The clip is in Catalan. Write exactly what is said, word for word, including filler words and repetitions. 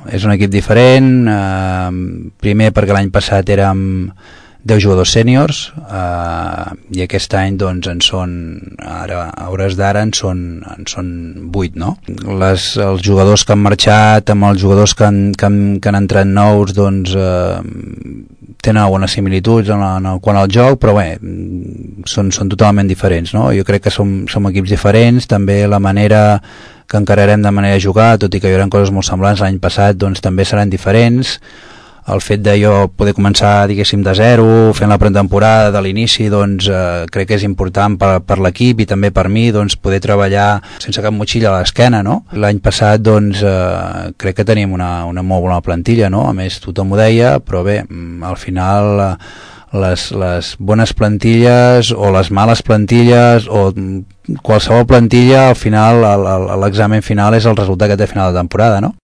És un equip diferent, eh, primer perquè l'any passat érem deu jugadors sèniors, eh, i aquest any doncs en són, ara, a hores d'ara en són, en són vuit, no? Les, els jugadors que han marxat amb els jugadors que han, que han, que han entrat nous doncs eh, tenen algunes similituds en, la, en el, quant al joc, però bé, són, són totalment diferents, no? Jo crec que som, som equips diferents, també la manera que encararem de manera de jugar, tot i que hi haurà coses molt semblants l'any passat, doncs també seran diferents. El fet de jo poder començar, diguéssim, de zero, fent la pretemporada de l'inici, doncs eh, crec que és important per, per l'equip i també per mi, doncs poder treballar sense cap motxilla a l'esquena, no? L'any passat, doncs, eh, crec que teníem una, una molt bona plantilla, no? A més, tothom ho deia, però bé, al final eh, les, les bones plantilles o les males plantilles o qualsevol plantilla, al final, l'examen final és el resultat que té a final de temporada, no?